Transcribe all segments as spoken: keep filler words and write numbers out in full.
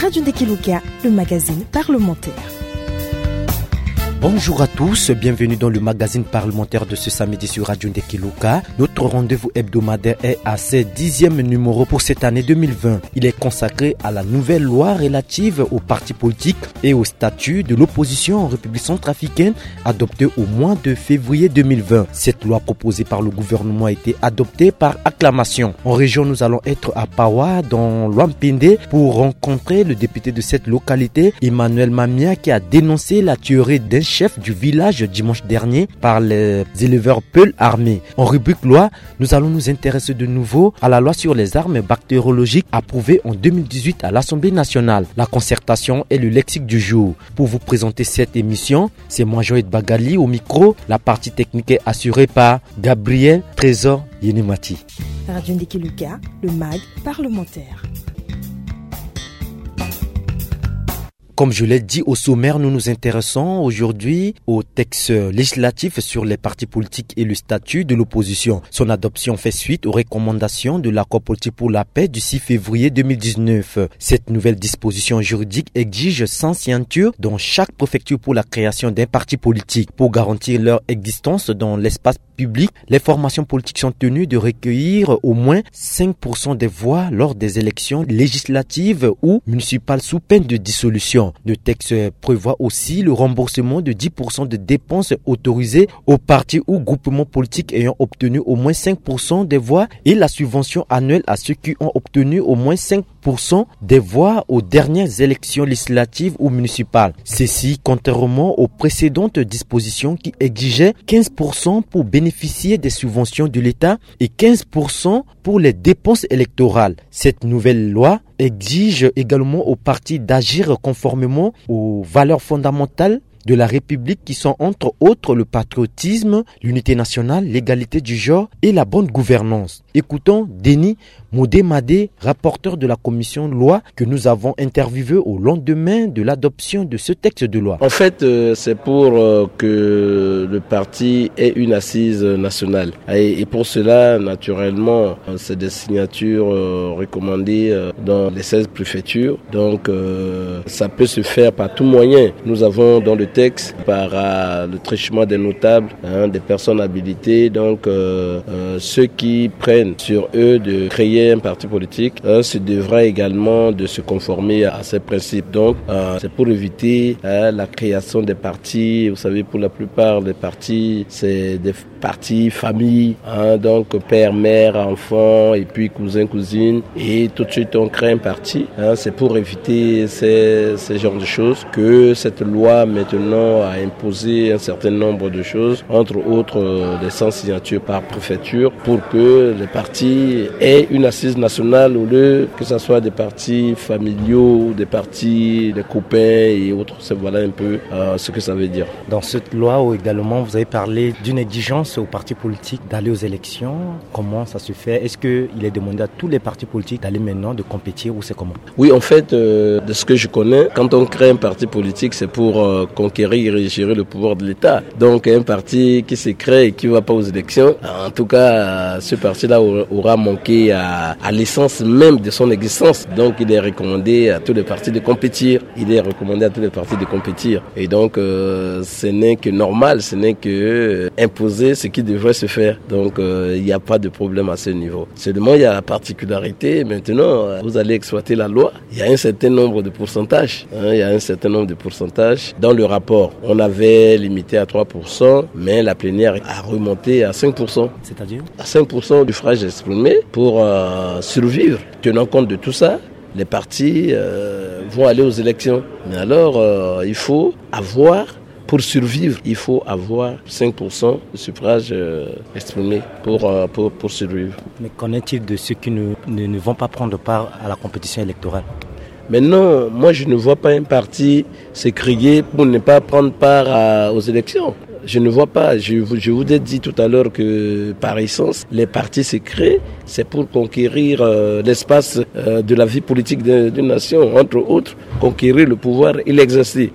Radio Ndekiluka, le magazine parlementaire. Bonjour à tous, bienvenue dans le magazine parlementaire de ce samedi sur Radio Ndekiluka. Notre rendez-vous hebdomadaire est à ce dixième numéro pour cette année deux mille vingt. Il est consacré à la nouvelle loi relative aux partis politiques et au statut de l'opposition en République centrafricaine, adoptée au mois de février deux mille vingt. Cette loi proposée par le gouvernement a été adoptée par acclamation. En région, nous allons être à Pawa, dans l'Ouham-Pendé, pour rencontrer le député de cette localité, Emmanuel Mamia, qui a dénoncé la tuerie d'un chef du village dimanche dernier par les éleveurs Peul armés. En rubrique loi, nous allons nous intéresser de nouveau à la loi sur les armes bactériologiques approuvée en deux mille dix-huit à l'Assemblée nationale. La concertation est le lexique du jour. Pour vous présenter cette émission, c'est moi, Joël Bagali, au micro. La partie technique est assurée par Gabriel Trésor Yenemati. Radio Ndekiluka, le mag parlementaire. Comme je l'ai dit au sommaire, nous nous intéressons aujourd'hui au texte législatif sur les partis politiques et le statut de l'opposition. Son adoption fait suite aux recommandations de l'accord politique pour la paix du six février deux mille dix-neuf. Cette nouvelle disposition juridique exige cent signatures dans chaque préfecture pour la création d'un parti politique. Pour garantir leur existence dans l'espace public, les formations politiques sont tenues de recueillir au moins cinq pour cent des voix lors des élections législatives ou municipales sous peine de dissolution. Le texte prévoit aussi le remboursement de dix pour cent des dépenses autorisées aux partis ou groupements politiques ayant obtenu au moins cinq pour cent des voix et la subvention annuelle à ceux qui ont obtenu au moins cinq pour cent des voix aux dernières élections législatives ou municipales. Ceci contrairement aux précédentes dispositions qui exigeaient quinze pour cent pour bénéficier des subventions de l'État et quinze pour cent pour les dépenses électorales. Cette nouvelle loi exige également aux partis d'agir conformément aux valeurs fondamentales de la République, qui sont entre autres le patriotisme, l'unité nationale, l'égalité du genre et la bonne gouvernance. Écoutons Denis Modé-Madé, rapporteur de la commission loi, que nous avons interviewé au lendemain de l'adoption de ce texte de loi. En fait, euh, c'est pour, euh, que le parti ait une assise nationale. Et, et pour cela, naturellement, euh, c'est des signatures, euh, recommandées, euh, dans les seize préfectures. Donc, euh, ça peut se faire par tout moyen. Nous avons dans le texte, par, euh, le truchement des notables, hein, des personnes habilitées, donc, euh, euh, ceux qui prennent sur eux de créer un parti politique, euh, se devra également de se conformer à ces principes. Donc, euh, c'est pour éviter, euh, la création des partis. Vous savez, pour la plupart, les partis, c'est des partis famille, hein, donc père, mère, enfant, et puis cousin, cousine, et tout de suite on crée un parti, hein. C'est pour éviter ces, ces genres de choses que cette loi maintenant a imposé un certain nombre de choses, entre autres, euh, les cent signatures par préfecture, pour que les partis aient une assise nationale au lieu que ce soit des partis familiaux, des partis, des copains et autres. C'est, voilà un peu, euh, ce que ça veut dire. Dans cette loi également, vous avez parlé d'une exigence aux partis politiques d'aller aux élections. Comment ça se fait ? Est-ce qu'il est demandé à tous les partis politiques d'aller maintenant, de compétir, ou c'est comment ? Oui, en fait, euh, de ce que je connais, quand on crée un parti politique, c'est pour, euh, conquérir et gérer le pouvoir de l'État. Donc, un parti qui se crée et qui ne va pas aux élections, en tout cas, ce parti-là aura, aura manqué à, à l'essence même de son existence. Donc, il est recommandé à tous les partis de compétir. Il est recommandé à tous les partis de compétir. Et donc, euh, ce n'est que normal, ce n'est que, euh, imposer ce qui devrait se faire. Donc, euh, il n'y a pas de problème à ce niveau. Seulement, il y a la particularité. Maintenant, euh, vous allez exploiter la loi. Il y a un certain nombre de pourcentages, hein, il y a un certain nombre de pourcentages. Dans le rapport, on avait limité à trois pour cent, mais la plénière a remonté à cinq pour cent. C'est-à-dire ? À cinq pour cent du suffrage exprimé pour, euh, survivre. Tenant compte de tout ça, les partis, euh, vont aller aux élections. Mais alors, euh, il faut avoir, pour survivre, il faut avoir cinq pour cent de suffrages, euh, exprimés pour, euh, pour, pour survivre. Mais qu'en est-il de ceux qui ne, ne, ne vont pas prendre part à la compétition électorale ? Maintenant, moi, je ne vois pas un parti se créer pour ne pas prendre part à, aux élections. Je ne vois pas. Je, vous- je vous ai dit tout à l'heure que, par essence, les partis se créent, c'est pour conquérir, euh, l'espace, euh, de la vie politique de- d'une nation, entre autres, conquérir le pouvoir et l'exercer.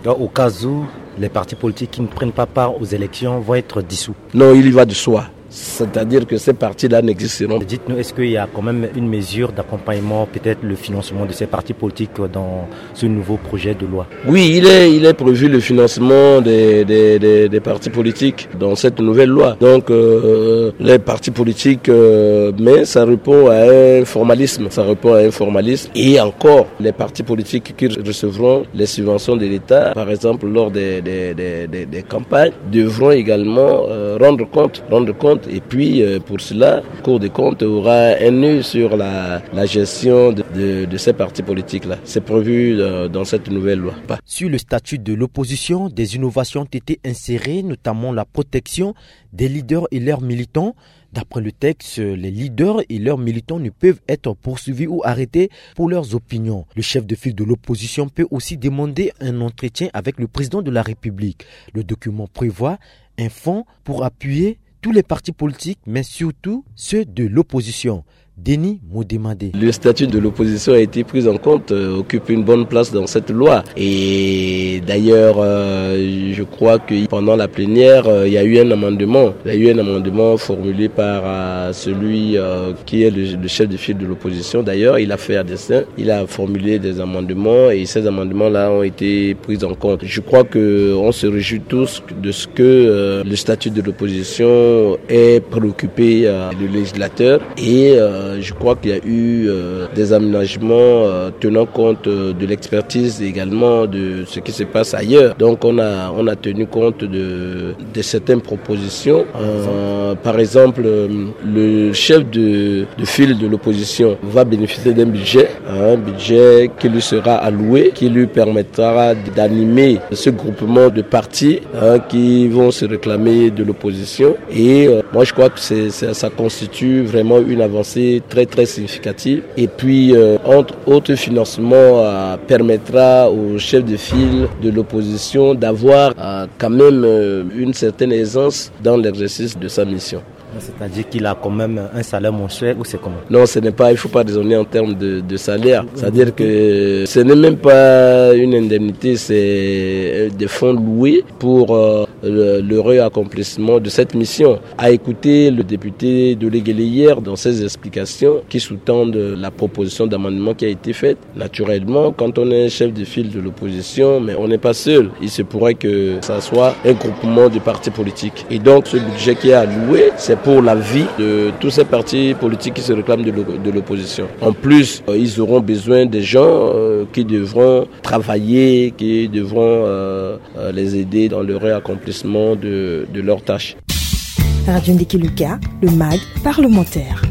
Donc, au cas où les partis politiques qui ne prennent pas part aux élections vont être dissous ? Non, il y va de soi. C'est-à-dire que ces partis-là n'existeront. Dites-nous, est-ce qu'il y a quand même une mesure d'accompagnement, peut-être le financement de ces partis politiques dans ce nouveau projet de loi ? Oui, il est, il est prévu le financement des, des, des, des partis politiques dans cette nouvelle loi. Donc, euh, les partis politiques, euh, mais ça répond à un formalisme. Ça répond à un formalisme. Et encore, les partis politiques qui recevront les subventions de l'État, par exemple lors des, des, des, des, des campagnes, devront également, euh, rendre compte, rendre compte. Et puis, euh, pour cela, la Cour des comptes aura un œil sur la, la gestion de, de, de ces partis politiques-là. C'est prévu, euh, dans cette nouvelle loi. Sur le statut de l'opposition, des innovations ont été insérées, notamment la protection des leaders et leurs militants. D'après le texte, les leaders et leurs militants ne peuvent être poursuivis ou arrêtés pour leurs opinions. Le chef de file de l'opposition peut aussi demander un entretien avec le président de la République. Le document prévoit un fonds pour appuyer tous les partis politiques, mais surtout ceux de l'opposition. Denis Modemade. Le statut de l'opposition a été pris en compte, euh, occupe une bonne place dans cette loi. Et d'ailleurs, euh, je crois que pendant la plénière, euh, il y a eu un amendement. Il y a eu un amendement formulé par, euh, celui, euh, qui est le, le chef de file de l'opposition. D'ailleurs, il a fait un dessin, il a formulé des amendements et ces amendements-là ont été pris en compte. Je crois que on se réjouit tous de ce que, euh, le statut de l'opposition ait préoccupé, euh, le législateur. Et, euh, je crois qu'il y a eu, euh, des aménagements, euh, tenant compte, euh, de l'expertise également de ce qui se passe ailleurs. Donc on a, on a tenu compte de, de certaines propositions. Euh, par exemple, euh, le chef de, de file de l'opposition va bénéficier d'un budget, un budget qui lui sera alloué, qui lui permettra d'animer ce groupement de partis, hein, qui vont se réclamer de l'opposition. Et, euh, moi, je crois que c'est, ça, ça constitue vraiment une avancée très, très significative. Et puis, euh, entre autres financements, euh, permettra au chef de file de l'opposition d'avoir, euh, quand même, euh, une certaine aisance dans l'exercice de sa mission. C'est-à-dire qu'il a quand même un salaire mensuel ou c'est comment ? Non, ce n'est pas, il faut pas raisonner en termes de, de salaire. C'est-à-dire que ce n'est même pas une indemnité, c'est, euh, des fonds loués pour, euh, le, le réaccomplissement de cette mission. À écouter le député de Légélé hier dans ses explications qui sous-tendent la proposition d'amendement qui a été faite, naturellement, quand on est chef de file de l'opposition, mais on n'est pas seul. Il se pourrait que ça soit un groupement de partis politiques. Et donc, ce budget qui est alloué, c'est pour la vie de tous ces partis politiques qui se réclament de l'o-, de l'opposition. En plus, euh, ils auront besoin des gens, euh, qui devront travailler, qui devront, euh, euh, les aider dans le réaccomplissement de, de leurs tâches. Radio Ndiki Luka, le mag parlementaire.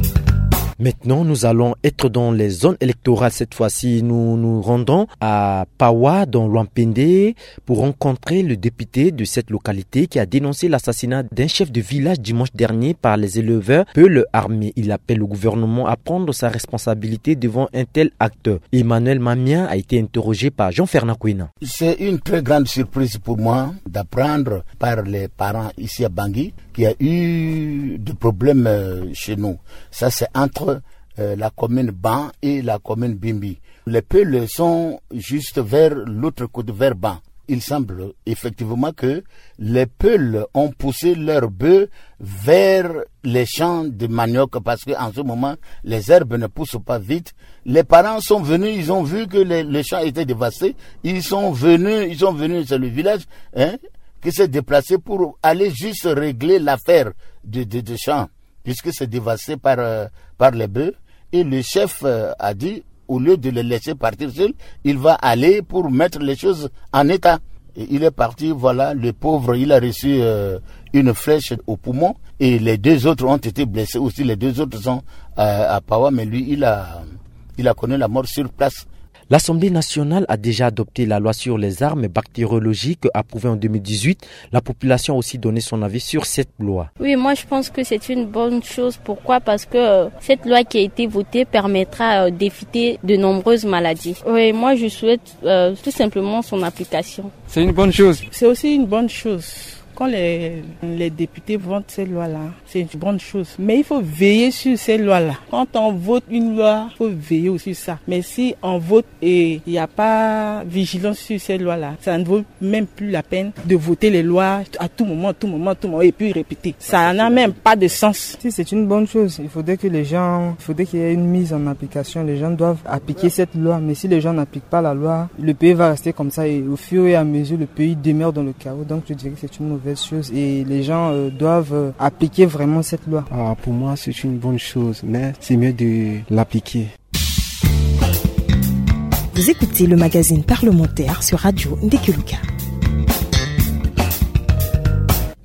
Maintenant, nous allons être dans les zones électorales. Cette fois-ci, nous nous rendons à Pawa, dans l'Ouampende, pour rencontrer le député de cette localité qui a dénoncé l'assassinat d'un chef de village dimanche dernier par les éleveurs Peul armés. Il appelle le gouvernement à prendre sa responsabilité devant un tel acte. Emmanuel Mamia a été interrogé par Jean-Fernand Kouina. C'est une très grande surprise pour moi d'apprendre par les parents ici à Bangui qu'il y a eu des problèmes, euh, chez nous. Ça, c'est entre, euh, la commune Ban et la commune Bimbi. Les Peul sont juste vers l'autre côté, vers Ban. Il semble effectivement que les Peul ont poussé leurs bœufs vers les champs de manioc parce qu'en ce moment, les herbes ne poussent pas vite. Les parents sont venus, ils ont vu que les, les champs étaient dévastés. Ils sont venus, ils sont venus, c'est le village, hein, qui s'est déplacé pour aller juste régler l'affaire de, de, de champs, puisque c'est dévasté par, euh, par les bœufs. Et le chef, euh, a dit, au lieu de les laisser partir seuls, il va aller pour mettre les choses en état. Et il est parti, voilà, le pauvre, il a reçu, euh, une flèche au poumon. Et les deux autres ont été blessés aussi. Les deux autres sont, euh, à Pawa, mais lui, il a, il a connu la mort sur place. L'Assemblée nationale a déjà adopté la loi sur les armes bactériologiques approuvée en deux mille dix-huit. La population a aussi donné son avis sur cette loi. Oui, moi je pense que c'est une bonne chose. Pourquoi ? Parce que, euh, cette loi qui a été votée permettra, euh, d'éviter de nombreuses maladies. Oui, moi je souhaite, euh, tout simplement son application. C'est une bonne chose. C'est aussi une bonne chose. Quand les, les députés votent ces lois-là, c'est une bonne chose. Mais il faut veiller sur ces lois-là. Quand on vote une loi, il faut veiller aussi sur ça. Mais si on vote et il n'y a pas vigilance sur ces lois-là, ça ne vaut même plus la peine de voter les lois à tout moment, tout moment, tout moment, et puis répéter. Ça n'a même pas de sens. Si, c'est une bonne chose. Il faudrait que les gens, il faudrait qu'il y ait une mise en application. Les gens doivent appliquer cette loi. Mais si les gens n'appliquent pas la loi, le pays va rester comme ça. Et au fur et à mesure, le pays demeure dans le chaos. Donc, je dirais que c'est une mauvaise chose. Et les gens, euh, doivent, euh, appliquer vraiment cette loi. Ah, pour moi, c'est une bonne chose. Mais c'est mieux de l'appliquer. Vous écoutez le magazine parlementaire sur Radio Ndekeluka.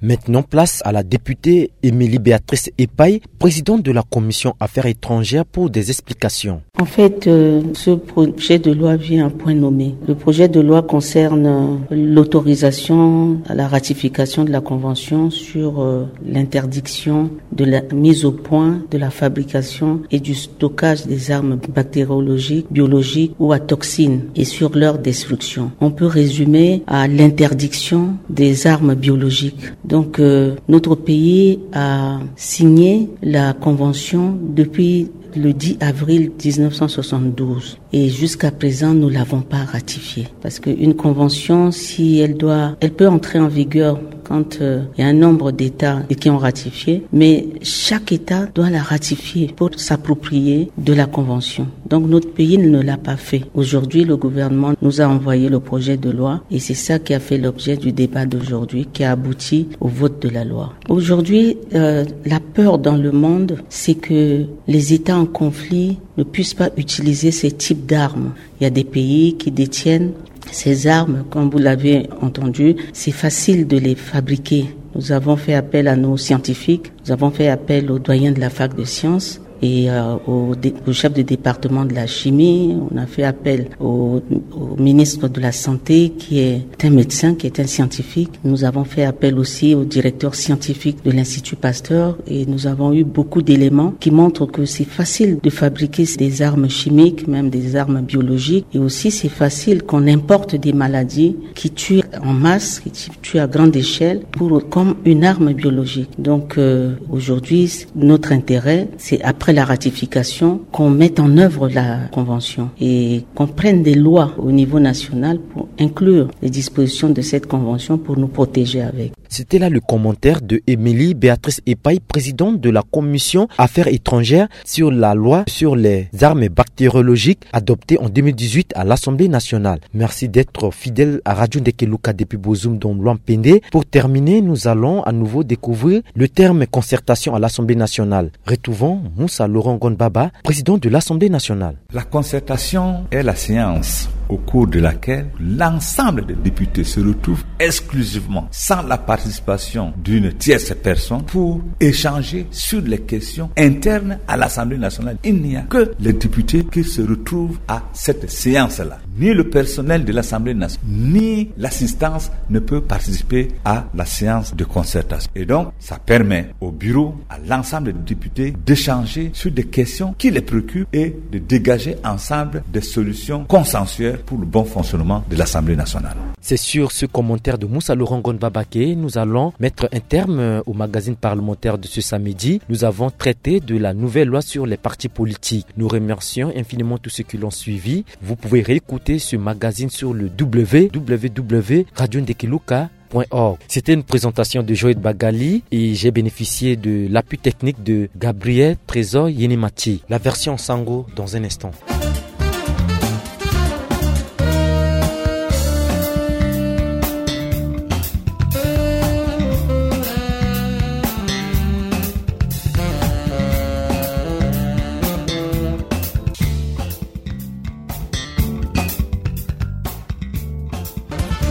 Maintenant, place à la députée Émilie Béatrice Epayi, présidente de la commission affaires étrangères, pour des explications. En fait, euh, ce projet de loi vient à point nommé. Le projet de loi concerne, euh, l'autorisation à la ratification de la convention sur, euh, l'interdiction de la mise au point, de la fabrication et du stockage des armes bactériologiques, biologiques ou à toxines et sur leur destruction. On peut résumer à l'interdiction des armes biologiques. Donc, euh, notre pays a signé la convention depuis le dix avril dix-neuf cent soixante-douze. Et jusqu'à présent, nous l'avons pas ratifiée. Parce qu'une convention, si elle doit, elle peut entrer en vigueur quand, euh, il y a un nombre d'États qui ont ratifié, mais chaque État doit la ratifier pour s'approprier de la convention. Donc notre pays ne l'a pas fait. Aujourd'hui, le gouvernement nous a envoyé le projet de loi et c'est ça qui a fait l'objet du débat d'aujourd'hui, qui a abouti au vote de la loi. Aujourd'hui, euh, la peur dans le monde, c'est que les États en conflit ne puissent pas utiliser ces types d'armes. Il y a des pays qui détiennent ces armes, comme vous l'avez entendu, c'est facile de les fabriquer. Nous avons fait appel à nos scientifiques, nous avons fait appel aux doyens de la fac de sciences et, euh, au, dé- au chef de département de la chimie, on a fait appel au, au ministre de la Santé qui est un médecin, qui est un scientifique. Nous avons fait appel aussi au directeur scientifique de l'Institut Pasteur et nous avons eu beaucoup d'éléments qui montrent que c'est facile de fabriquer des armes chimiques, même des armes biologiques. Et aussi, c'est facile qu'on importe des maladies qui tuent en masse, qui tuent à grande échelle, pour, comme une arme biologique. Donc, euh, aujourd'hui, notre intérêt, c'est après la ratification, qu'on mette en œuvre la convention et qu'on prenne des lois au niveau national pour inclure les dispositions de cette convention pour nous protéger avec. C'était là le commentaire de Émilie Béatrice Epayi, présidente de la commission affaires étrangères, sur la loi sur les armes bactériologiques adoptée en deux mille dix-huit à l'Assemblée nationale. Merci d'être fidèle à Radio Ndekeluka depuis Bozoum dans Loampende. Pour terminer, nous allons à nouveau découvrir le terme concertation à l'Assemblée nationale. Retrouvons Moussa Laurent Gonbaba, président de l'Assemblée nationale. La concertation est la séance au cours de laquelle l'ensemble des députés se retrouvent exclusivement, sans la participation d'une tierce personne, pour échanger sur les questions internes à l'Assemblée nationale. Il n'y a que les députés qui se retrouvent à cette séance-là. Ni le personnel de l'Assemblée nationale, ni l'assistance ne peut participer à la séance de concertation. Et donc, ça permet au bureau, à l'ensemble des députés, d'échanger sur des questions qui les préoccupent et de dégager ensemble des solutions consensuelles pour le bon fonctionnement de l'Assemblée nationale. C'est sur ce commentaire de Moussa Laurent Gonbaba que nous allons mettre un terme au magazine parlementaire de ce samedi. Nous avons traité de la nouvelle loi sur les partis politiques. Nous remercions infiniment tous ceux qui l'ont suivi. Vous pouvez réécouter ce magazine sur le w w w point radio ndekeluka point org. C'était une présentation de Joël Bagali et j'ai bénéficié de l'appui technique de Gabriel Trésor Yenemati. La version Sango dans un instant.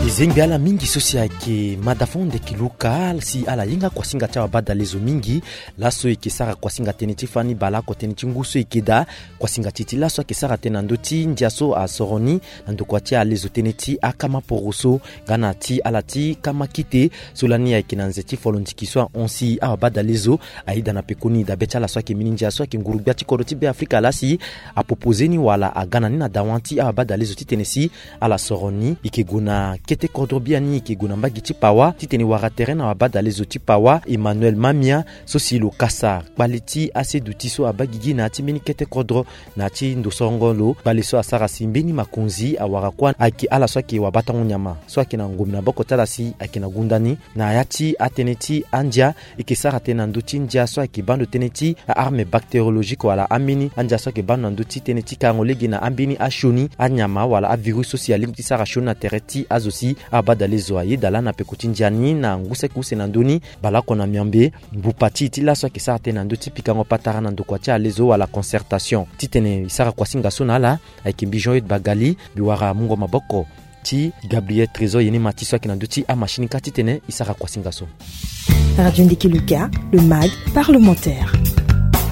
E zengbi ala mingi so si ayeke madafon Ndekeluka si ala hinga kuasinga ti awabadalezo mingi. Laso e yeke sara kuasinga tënë ti fani baleoko tënë ti ngu so e yeke daa. Kuasinga ti e ti laso ayeke sara tënë na ndö ti ndia so asoro ni na ndokua ti alezo tënë ti akama poroso nga na ti ala ti kama kite. So lani ayeke na nze ti folondiki so ahon si awabadalezo ayeda na pekoni dabe ti ala so ayeke mbeni ndia so ayeke nguru-gbia ti kodro ti Beafrika laa si apropose ni wala aga na ni na dawa ti awabadalezo titene si ala soro ni. E yeke gue na kete Kodro biani e yeke gue na mbage ti Pawa titene e wara tere na wabadalezo ti Pawa Emmanuel Mamia, so si lo kasa kpale ti aseduti so abaa gigi na ya ti mbeni kete kodro na ya ti ndo sorongo lo. Kpale so asara si mbeni makonzi awara kuâ ayeke ala so ayeke wabatango nyama so ayeke na ngombe na maboko ti ala si ayeke na gunda ni. Na ya ti atënë ti andia, e yeke sara tënë na ndö ti ndia so ayeke baa ndo tënë ti a-arme bactériologique wala ambeni andia so ayeke baa ndo na ndö ti tënë ti karango lege na ambeni asioni anyama wala avirus so si alingbi ti sara sioni na tere ti azo si abadalezo ayeda laa na peko ti ndia ni. Na ngu saki use na ndö ni, baleoko na miambe, mbupa ti e ti laso ayeke sara tënë na ndö ti pikango patara na ndokua ti alezo wala concertation titene e sara kuasinga so na ala. Ayeke mbi Jean Eude Bagali, mbi wara mungo maboko ti Gabriel Trésor Yenema ti so ayeke na ndö ti amachine kâ titene e sara kuasinga so. Radio Ndiki Luka, le mag parlementaire.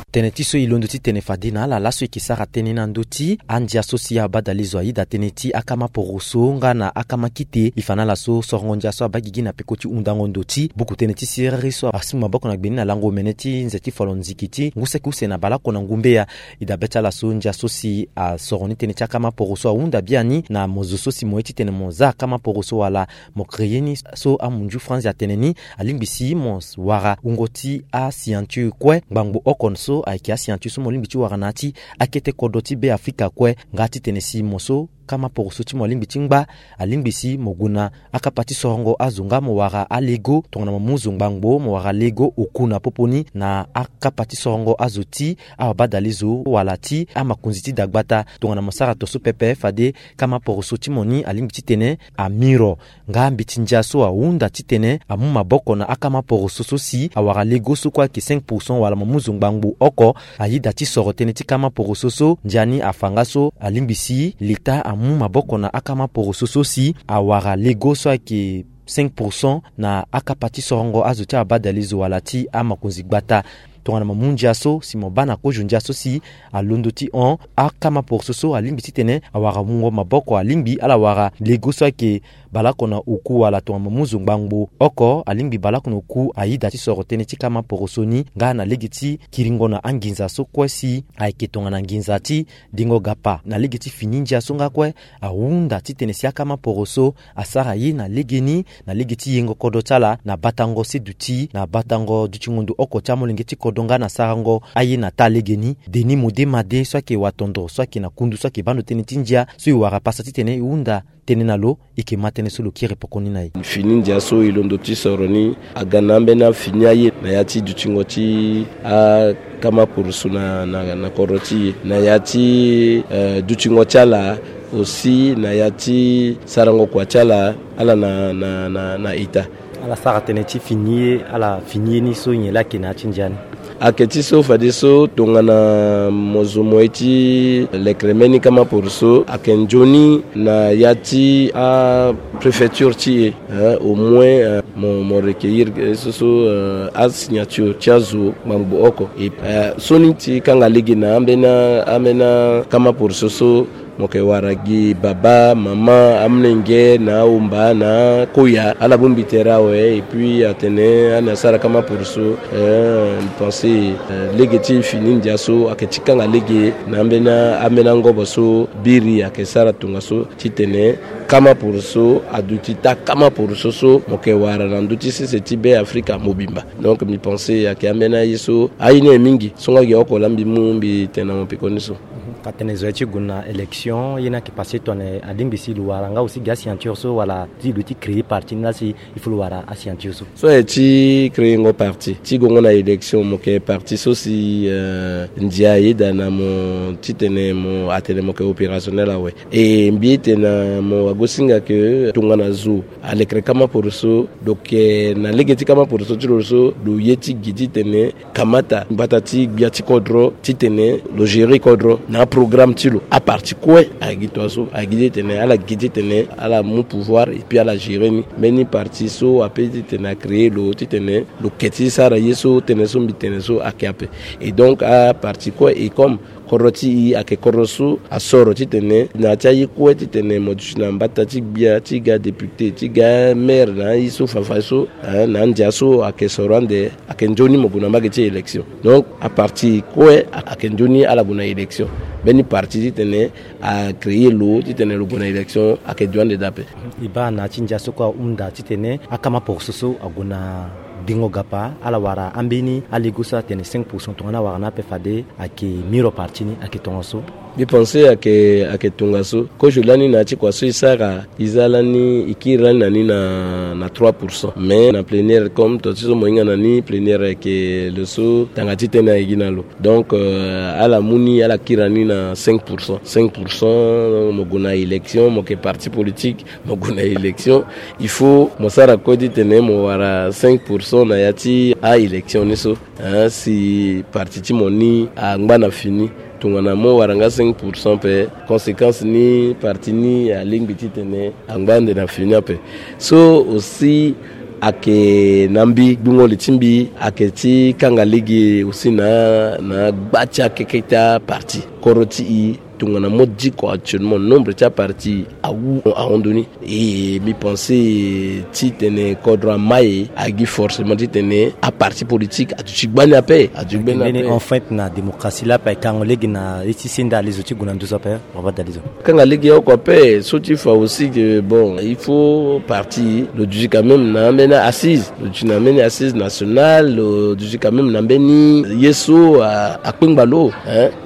Tënë ti so e londo titene fade na ala laso e yeke sara tënë na ndö ti andia so si abadalezo ayeda tënë ti akama poroso nga na akama kite. E fa na ala so sorongo ndia so abaa gigi na peko ti hundango ndo ti buku tënë ti siriri so asi maboko na gbe ni na lango omene ti nze ti falo nziki ti ngu saki use na baleoko na ngumbeya. E dabe ti ala so ndia so si asoro ni tënë ti akama poroso ahunda biani na mo zo so si mo ye titene mo za akama poroso wala mo créer ni so amunzu franzi atene ni, alingbi si mo wara wungo ti asignature kue ngbangbo oko so ayeke asignature so mo lingbi ti wara na ya ti akete kodro ti Beafrika kue. Nga titene si mo so kama poroso ti mo alingbi ti ngba, alingbi si mo gue na akapa ti sorongo azo nga mo wara alego tongana mo mu zo ngbangbo, mo wara lego oku na popo ni na akapa ti sorongo azo ti awabadalezo wala ti amakonzi ti dagbata. Tongana mo sara tongaso pepe, fade kama poroso ti mo ni alingbi titene amiro. Nga mbeti ndia so ahunda titene amu maboko na akama poroso so si awara lego so kue ayeke cinq pour cent wala mo mu zo ngbangbo oko. Ayeda ti soro tënë ti kama poroso so, ndia ni afa nga so alingbi si leta amu maboko na akama poroso so si awara lego so ayeke cinq pour cent na akapa ti sorongo azo ti abadalezo wala ti amakonzi gbata. Tongana mo mu ndia so si mo baa na kozo ndia so si alondo ti hon, akama poroso so alingbi titene awara wungo maboko, alingbi ala wara lego so ayeke baleoko na oku wala tongana mo mu zo ngbangbo oko, alingbi baleoko na oku ayeda ti soro tënë ti kama poroso ni nga na lege ti kiringo na anginza so kue si ayeke tongana nginza ti dengo gapa. Na lege ti fini ndia so nga kue ahunda titene si akama poroso asara ye na legeni na lege ti yengo kodro ti ala na batango seduti na batango dutingo ndo oko ti amolenge ti kodro nga na sarango aye na taa legeni. Denis Modema de so ayeke watondoro so ayeke na kundu so ayeke baa ndo tënë ti ndia so e wara pasa titene e hunda tënë na lo, e yeke ma tënë so lo kiri poko ni na e. Fini ndia so e londo ti soro ni aga na ambeni afini aye na ya ti dutingo ti akama poroso na, na, na kodro ti e, na ya ti, eh, dutingo ti ala aussi, na ya ti sarango kua ti ala, ala na, na, na, na ita. Ala sara tënë ti fini ye, ala fini ye ni so nyen laa ayeke na ya ti ndia ni? Ayeke ti so fadeso tongana mo zo mo ye ti lekere mbeni kama poroso, ayeke nzoni na ya ti apréfecture ti e, hein, au moins, euh, mo, mo recueillir, euh, so so, euh, asignature ti azo ngbangbo oko. Et, euh, so ni ti kanga lege na ambeni, ambeni akama poroso so, mo yeke wara gi baba, mama, amolenge na ahomba na akoya, ala bongbi tere awe. Et puis atene ani asara kama poroso, eh, mbi pense, eh, lege ti fini ndia so ayeke ti kanga lege na ambeni, ambeni angobo so biri ayeke sara tongaso titene kama poroso aduti taa kama poroso so mo yeke wara na ndö ti sese ti Beafrika mobimba. Donc mbi pense ayeke ambeni aye so aye ni aye mingi so nga gi oko laa mbi mu mbi tene na mo pekoni so. Mhm. Ka tene zo ye ti gue na élection, ye ni ayeke passé tongana alingbi si lo wara nga aussi gi asignature so wala ti lo ti créer parti ni laa si il faut lo wara asignature so? So aye ti créer ngo parti ti gongo na élection, mo yeke parti so si, euh, ndia ayeda na mo titene mo atene mo yeke opérationnel awe. E mbi ete na mo wagosinga ke tongana zo alekere kama poroso, donc, eh, na lege ti kama poroso ti lo so lo ye ti gi titene kamata gbata ti gbia ti kodro titene lo gérer kodro na aprogramme ti lo. Aparti kue ayeke gi tongaso, ayeke gi titene ala gi titene ala mu pouvoir et puis ala gérer ni. Mbeni parti so ape titene acréer lo titene lo ke ti sara ye so tënë so mbi tene so ayeke ape. Et donc aparti kue, et comme Kodro ti i ayeke kodro so asoro titene na ya ti aye kue titene mo duti na mbata ti gbia ti ga député ti ga maire na aye so fafa so, eh, na andia so ayeke soro ande, ayeke nzoni mo gue na mbage ti élection. Donc aparti kue ayeke nzoni ala gue na élection. Mbeni parti titene acréer lo titene lo gue na élection ayeke duande daa ape. E baa na ya ti ndia so kue ahunda titene akama poroso so ague na gbingo gapa ala wara ambeni alego so atene cinq pour cent tongana awara ni ape fade ayeke miro parti ni ayeke tongaso. Mbi pense ayeke ayeke tongaso kozo lani na ya ti kua so e sara e za lani e kiri lani na ni na na trois pour cent mais na plénière comme to ti so mo hinga na ni plénière ayeke lo so tanga titene ayeke gi na lo. Donc euh, ala mu ni ala kiri na ni na cinq pour cent cinq pour cent mo gue na élection mo yeke parti politique mo gue na élection. Il faut mo sara kue titene mo wara cinq pour cent na ya ti a-élection ni so. Hein, si parti ti mo ni angba na fini tongana mo wara nga cinq pour cent ape, conséquence ni parti ni alingbi titene angba ande na fini ape. So aussi ayeke na mbi gbungo li ti mbi ayeke ti kanga lege aussi na na gba ti akeke ti aparti. Kodro ti i tongana mo diko actuellement nombre ti aparti awu ahon ndo ni. E mbi pense titene kodro ama e agi forcément titene aparti politique aduti gbani ape aduti gbani ape. Enfin na démocratie la ape akango lege na ye ti senda alezo ti gue na nduzu ape. Baba dalizo kanga lege oko ape so ti fa aussi que bon il faut parti lo duti quand même na ambeni assise lo duti na ambeni assise nationale lo duti quand même na mbeni ye so akpengba lo.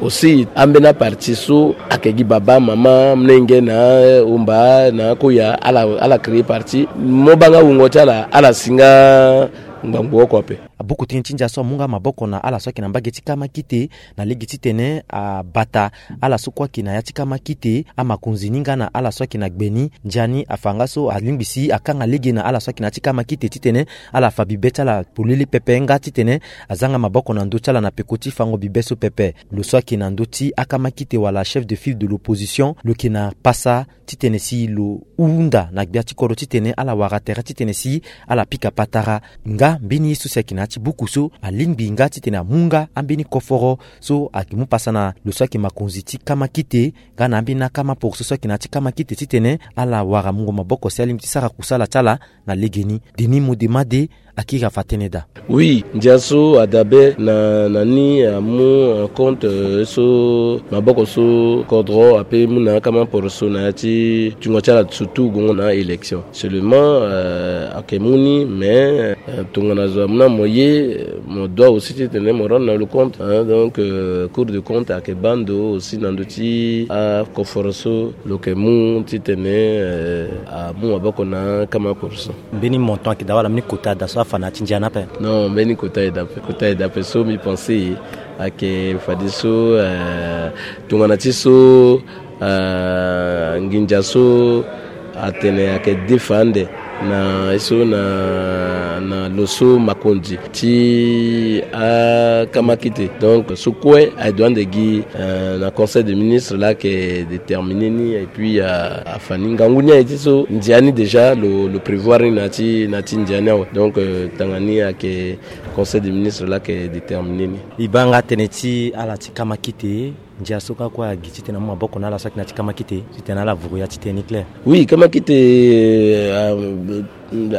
Aussi ambeni aparti so ayeke gi baba mama mlenge na omba na koya ala ala créer parti mo banga wungo ti ala ala si nga ngbangbo oko ape. Abuku tënë ti ndia so amu nga maboko na ala so ayeke na mbage ti kama kite na lege titene abata ala so kue ayeke na ya ti kama kite amakonzi ni nga na ala so ayeke na gbe ni. Ndia ni afa nga so alingbi si akanga lege na ala so ayeke na ya ti kama kite titene ala fa bibe ti ala polele pepe nga titene aza nga maboko na ndö ti ala na peko ti fango bibe so pepe. Lo so ayeke na ndö ti akama kite wala chef de file de l'opposition lo yeke na pasa titene si lo hunda na gbia ti kodro titene ala wara tere titene si ala pika patara. Nga mbeni ye so si ayeke na ya ti buku so alingbi nga titene amu nga ambeni koforo so ayeke mu pasa na lo so ayeke makonzi ti kama kite nga na ambeni akama poroso so ayeke na ya ti kama kite titene ala wara mungo maboko si alingbi ti sara kusala ti ala na legeni. Denis Modemade akiri afa tënë daa. Oui, ndia so adabe na na ni amu en compte so maboko so kodro ape mu na akama poroso na ya ti tungo ti ala surtout gongo na élection seulement ayeke mu ni mais tongana zo amu na mo ye mo doit aussi titene mo rendre na lo compte. Donc cour de compte ayeke baa ndo aussi na ndö ti akoforo so lo yeke mu titene amu maboko na akama poroso. Mbeni montant ayeke daa wala mbeni kota daa so afa na ya ti ndia ni ape? Non, mbeni kota aye daa ape kota aye daa ape so mbi pense ayeke fadeso tongana ti so nginza so atene ayeke defa ande na ye so na na lo so makonzi ti akama kite. Donc so kue aye doit ande gi na conseil de ministre laa ayeke déterminer ni et puis afa ni ngangu ni aye ti so ndia ni déjà lo lo prévoir ni na ya ti na ya ti ndia ni awe. Donc tanga ni ayeke conseil de ministre laa ayeke déterminer ni. E baa nga tënë ti ala ti kama kite ndia so kâ kue agi titene amu maboko na ala so ayeke na ya ti kama kite titene ala vuru ya ti tënë ni claire. Oui, kama kite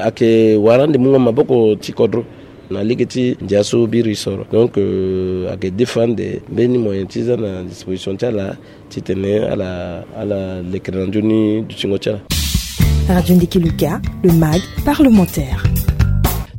ayeke wara ande mu nga maboko ti kodro na lege ti ndia so biri soro. Donc ayeke defa ande mbeni moyen ti za na disposition ti ala titene ala ala lekere na nzoni dutingo ti ala. Radio Ndiki Luka, le mag parlementaire.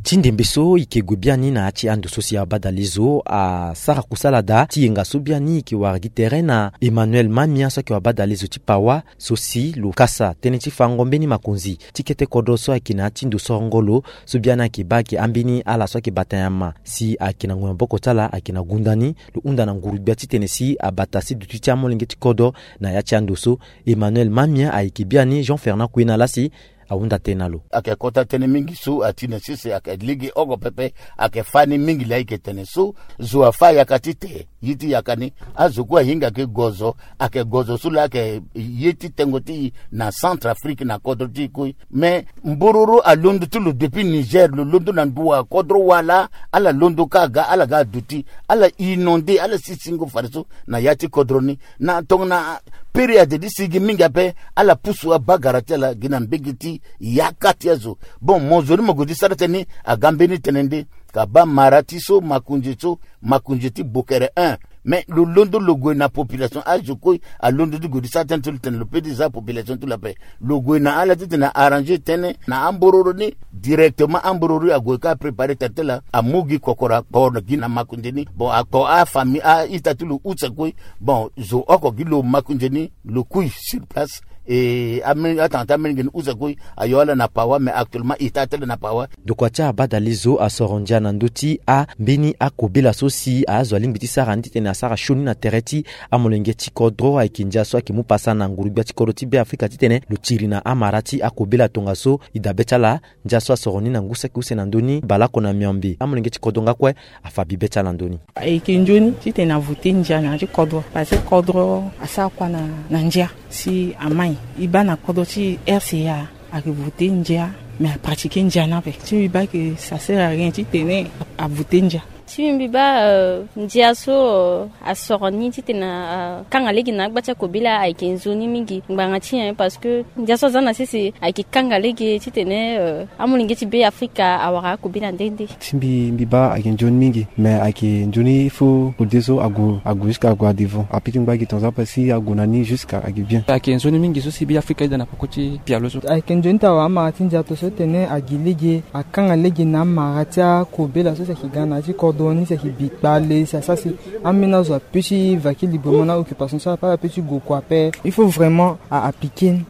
Ti ndembe so e ke gue biani na ya ti ando so si abadalezo asara kusala daa ti yenga so biani e ke wara gi tere na Emmanuel Mamia so ayeke wabadalezo ti Pawa so si lo kasa tënë ti fango mbeni makonzi ti kete kodro so ayeke na ya ti ndo sorongo lo so biani ayeke baa ayeke ambeni ala so ayeke bata nyama si ayeke na ngoi maboko ti ala ayeke na gunda ni. Lo hunda na nguru-gbia titene si abata si duti ti amolenge ti kodro na ya ti ando so. Emmanuel Mamia ayeke biani Jean Fernand Kuena laa si ahunda tënë na lo. Ayeke kota tënë mingi so ati na sese, ayeke lege oko pepe. Ayeke fâ ni mingi laa e yeke tene so zo afâ yaka ti te, ye ti yaka ni. Azo kue ahinga ke gozo, ayeke gozo so laa ayeke ye ti tengo ti e na Centrafrique na kodro ti e kue. Me mbororo alondo ti lo depuis Niger, lo londo na nduwa kodro wâ laa ala londo kâ aga, ala ga aduti, ala inondé, ala si singo fadeso na yâ ti kodro ni. Na tongana période ti sigi mingi ape, ala pusu abagara ti ala gi na mbege ti yaka ti azo. Bon, mo zo ni mo gue ti sara tënë ni aga mbeni tënë nde. Ka baa mara ti so, makonzi so, makonzi ti bokere un. Me lo londo lo gue na population, azo kue alondo ti gue ti sara tënë ti lo tene lo pe ti za population ti lo ape. Lo gue na ala titene arranger tënë na ambororo ni. Directement ambororo ni ague ka préparer tere ti ala, amu gi kokoro akpo gi na makonzi ni. Bon, akpo afamille a-ita ti lo use kue. Bon, zo oko gi lo makonzi ni, lo kui sur place. E ame atanga ti amolenge ni use kue ayo ala na pawa, mais actuellement e taa tënë na pawa. Ndokua ti abadalezo asoro ndia na ndö ti ambeni akobela so si azo alingbi ti sara ni titene asara sioni na tere ti amolenge ti kodro. Ayeke ndia so ayeke mu pasa na nguru-gbia ti kodro ti Beafrika titene lo tiri na amara ti akobela tongaso e dabe ti ala. Ndia so asoro ni na ngu saki use na ndö ni baleoko na miombe. Amolenge ti kodro nga kue afa bibe ti ala na ndö ni. Ayeke nzoni titene avote ndia na yâ ti kodro, parce que kodro asara kua na, na ndia. Si amai e baa na kodro ti R C A, ayeke vote ndia, mais apratiquer ndia ni ape. Si mbi baa que ça sert à rien titene avote ndia. Si mbi baa, euh, ndia so, euh, asoro ni titene, euh, akanga lege na agba ti akobela ayeke nzoni mingi ngbanga ti nyen, parce que ndia so aza na sese ayeke kanga lege titene, euh, amolenge ti Beafrika awara akobela nde nde. Si mbi, mbi baa ayeke nzoni mingi, mais ayeke nzoni il faut kode so ague, ague jusqu'à ague à devant. Apiki ngba gi tongaso ape si ague na ni jusqu'à ayeke bien. Ayeke nzoni mingi so si Beafrika ayeda na peko ti pialo so. Ayeke nzoni ti awara amara ti ndia tongaso tene agi lege, akanga lege na amara ti akobela so si ayeke ga na yâ ti kodro ni, si ayeke bi kpale, si asara si ambeni azo ape ti vaki librement na occupation so ape, ape ti gue kua ape. Il faut vraiment a appliquer ni.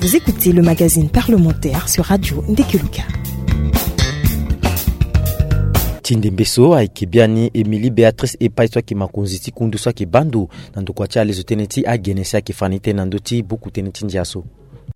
Vous écoutez le magazine parlementaire sur Radio Ndekeluka. Ti ndembe so ayeke biani Émilie Béatrice Epai so ayeke makonzi ti kundu so ayeke baa ndo na ndokua ti alezo tënë ti agene si ayeke fa ni tënë na ndö ti buku tënë ti ndia so.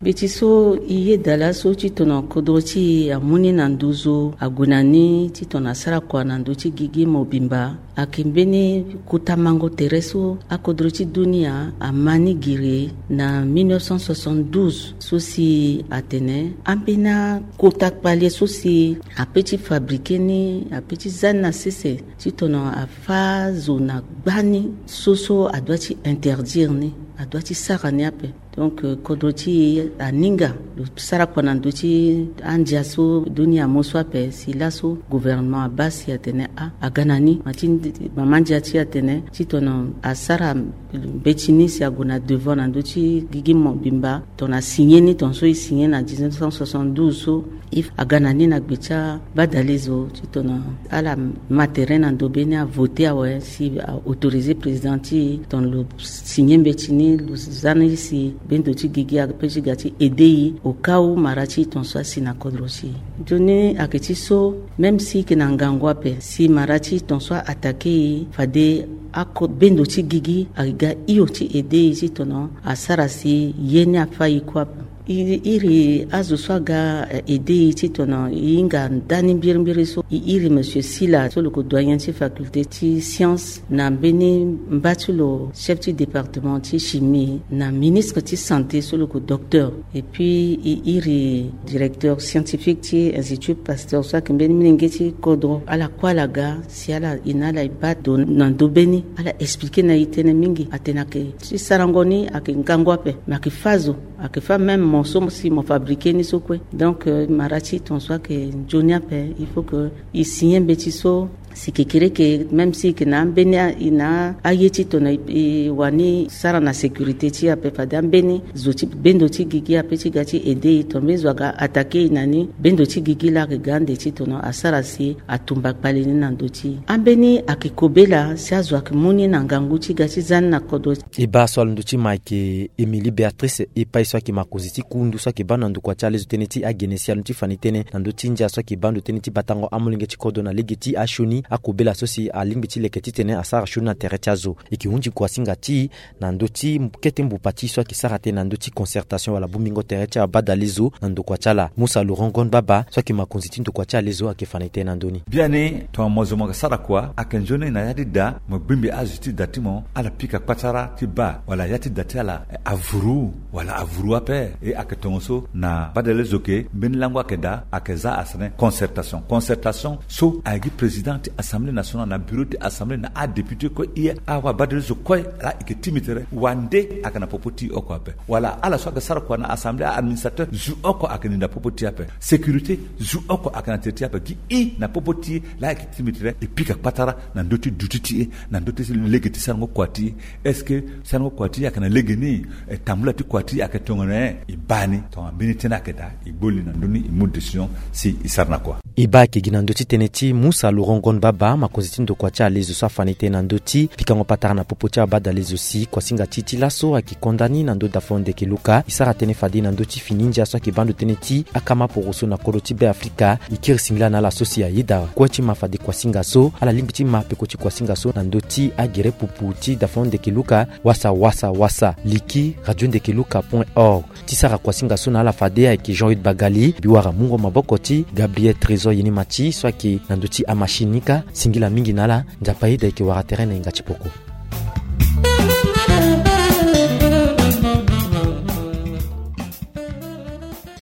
Mbeti so e yeda laso titene kodro ti e amu ni na nduzu, ague na ni titene asara kua na ndö ti gigi mobimba. Ayeke mbeni kota mango tere so akodro ti dunia ama ni giri na mille neuf cent soixante-douze, so si atene ambeni akota kpale so si ape ti fabriquer ni, ape ti za ni na sese titene afâ zo na gbani, so so adoit ti interdire ni, adoit ti sara ni ape. Donc, euh, kodro ti e aninga lo sara kua na ndö ti andia so dunia amu so ape. Si laso gouvernement abaa si atene a, aga na ni. Ma ti mama ndia ti e atene titene asara mbeti ni si ague na devant na ndö ti gigi mobimba. Tongana asigné ni, tongaso e signé na dix-neuf cent soixante-douze so, e aga na ni na gbe ti abadalezo titene ala ma tere na ndo be ni, avote awe si a autoriser président ti e titene lo signé mbeti ni, lo za ni si bendo ti gigi ape ti ga ti aider e au cas où mara ti e tongaso asi na kodro ti e. Nzoni ayeke ti so, même si e yeke na ngangu ape, si mara ti e tongaso a attaquer e, fade ako bendo ti gigi ayeke ga hio ti aider e titene asara si ye ni afâ e kue ape. E iri azo so aga, eh, aider e titene e hinga ndani mbirimbiri so, e iri monsieur Sila so lo yeke doyen ti faculté ti science, na mbeni mba ti lo chef ti département ti chimie, na ministre ti santé so lo yeke docteur, et puis e iri directeur scientifique ti Institut Pasteur so ayeke mbeni molenge ti kodro. Ala kue ala ga si ala, e na ala e baa ndo na ndo be ni, ala expliquer na e tënë mingi. Atene ayeke ti sarango ni ayeke ngangu ape, me ayeke fâ zo, ayeke fâ même mo so si mo fabriquer ni so kue. Donc, euh, mara ti e tongaso ayeke nzoni ape. Il faut que e signé mbeti so, si kekereke, même si e yeke na ambeni a, e na aye titene e wani sara na sécurité ti e ape, fade ambeni zo ti bendo ti gigi ape ti ga ti aider e, tongana mbeni zo aga attaquer e na ni, bendo ti gigi laa ayeke ga ande titene asara si atumba kpale ni na ndö ti e. Ambeni ayeke kobela si azo ayeke mu ni na ngangu ti ga ti za ni na kodro. E baa so alondo ti ma ayeke Émilie Béatrice Epai so ayeke makonzi ti kundu so ayeke baa ndo na ndokua ti alezo tënë ti agene si alondo ti fa ni tënë na ndö ti ndia so ayeke baa ndo tënë ti batango amolenge ti kodro na lege ti asioni. Akobela so si alingbi ti leke titene asara sioni na tere ti azo. E yeke hunzi kuasinga ti e na ndö ti kete mbupa ti e so ayeke sara tënë na ndö ti concertation wala bongbingo tere ti abadalezo na ndokua ti ala. Musa Laurent Gon Baba so ayeke makonzi ti ndokua ti alezo ayeke fa na e tënë na ndö ni. Biani tongana mo zo mo yeke sara kua, ayeke nzoni na ya ti da mo gbingbi azo ti da ti mo ala pika kpatara ti baa wala ya ti da ti ala, eh, avuru wala avuru ape. E ayeke tongaso na badalezo ke mbeni lango ayeke daa, ayeke za asene concertation. Concertation so ayeke gi président ti Assemblée nationale na bureau ti Assemblée na adéputé kue, e awa badalezo kue laa e yeke timi tere wande ayeke na popo ti e oko ape. Wala ala so ayeke sara kua na Assemblée, a-administrateur zo oko ayeke ni na popo ti e ape. Sécurité zo oko ayeke na tere ti e ape. Gi e na popo ti e laa e yeke timi tere e pika kpatara na ndö ti duti ti e, na ndö ti lege ti sarango kua ti e. Est-ce que sarango kua ti e ayeke na lege ni? Eh, tambula ti kua ti e ayeke tongana nyen? E baa ni tongana mbeni tënë ayeke daa, e gbo li na ndö ni, e mu décision si e sara na kua. E baa ayeke gi na ndö ti tënë ti Musa Laurent Gon Baba, makonzi ti ndokua ti alezo so afa na e tënë na ndö ti pikango patara na popo ti abadalezo si kuasinga ti e ti laso ayeke konda ni na ndö dafo ndeke luka. E sara tënë fade na ndö ti fini ndia so ayeke baa ndo tënë ti akama poroso na kodro ti Be Afrika. E kiri singila na ala so si ayeda kue ti ma fade kuasinga so, ala lingbi ti ma peko ti kuasinga so na ndö ti agere pupu ti dafo ndeke luka. Wasa wasa wasa liki radio ndeke luka point org. Ti sara kuasinga so na ala fade ayeke Jean Hude Bagali, mbi wara mungo maboko ti Gabriel Trésor Yenimati so ayeke na ndö ti amachine ni kâ. Singila mingi na ala, Nzapa ayeda e yeke wara tere na hinga ti poko.